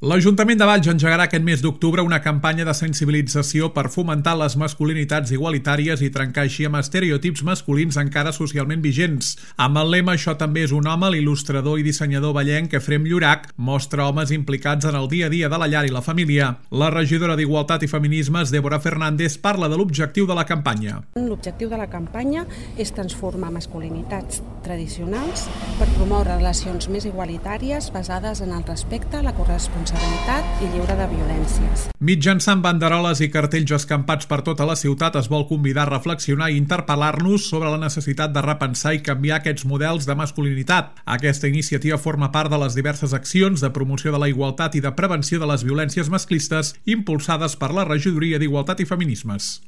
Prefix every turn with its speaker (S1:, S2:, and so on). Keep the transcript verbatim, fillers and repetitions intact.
S1: L'Ajuntament de Valls engegarà aquest mes d'octubre una campanya de sensibilització per fomentar les masculinitats igualitàries i trencar així amb estereotips masculins encara socialment vigents. Amb el lema "Això també és un home", l'il·lustrador i dissenyador vallenc Efrem Llorach mostra homes implicats en el dia a dia de la llar i la família. La regidora d'Igualtat i Feminismes, Débora Fernández, parla de l'objectiu de la campanya.
S2: L'objectiu de la campanya és transformar masculinitats tradicionals per promoure relacions més igualitàries basades en el respecte, la corresponsabilitat i lliure de violències.
S1: Mitjançant banderoles i cartells escampats per tota la ciutat es vol convidar a reflexionar i interpel·lar-nos sobre la necessitat de repensar i canviar aquests models de masculinitat. Aquesta iniciativa forma part de les diverses accions de promoció de la igualtat i de prevenció de les violències masclistes impulsades per la Regidoria d'Igualtat i Feminismes.